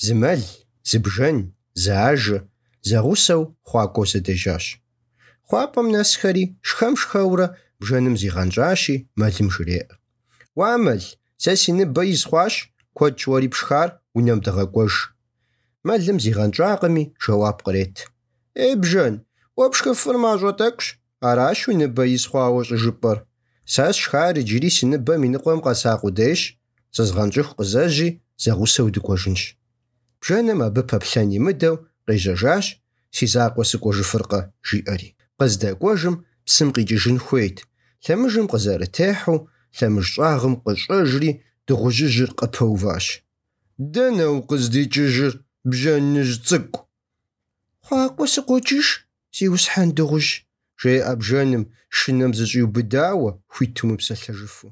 Зы мэл, зы бжэн, зы ажэ, зэгъусэу хъуакӏуэу зэдэжащ. Хъуапӏэм нэсхэри шхэм-шхэурэ бжэным зигъэнщӏащи, мэлым жреӏэ: «Уа мэл, сэ си ныбэ из хъуащ, куэд щӏыуэри пшхар унэм дыгъэкӏуэж». Мэлым зигъэнщӏакъыми, жэуап кърет: «Бжэн, уэ пшхыфыр мащӏэ тӏэкӏущ, аращ уи ныбэ из хъуауэ щӏыжыпӏэр. Сэ сшхар иджыри си ныбэм и ныкъуэм къэса къудейщ, зызгъэнщӏыху къызэжьи, зэгъусэу дыкӏуэжынщ». Бжэным абы пэплъэн имыдэу къежьэжащ: «Си закъуэ сыкӏуэжыфыркъэ», жиӏэри. Къыздэкӏуэжым псым къикӏыжын хуейт. Лъэмыжым къызэрытехьу, лъэмыж щӏагъым къыщӏэжри, дыгъужьыжьыр къыпэуващ: «Дэнэ укъыздикӏыжыр, бжэныжь цӏыкӏу?» «Хъуакъуэ сыкъокӏыж, зиусхьэн дыгъужь», жеӏэ бжэным, шынэм зыщӏиубыдауэ, хуиту мыпсэлъэжыфу.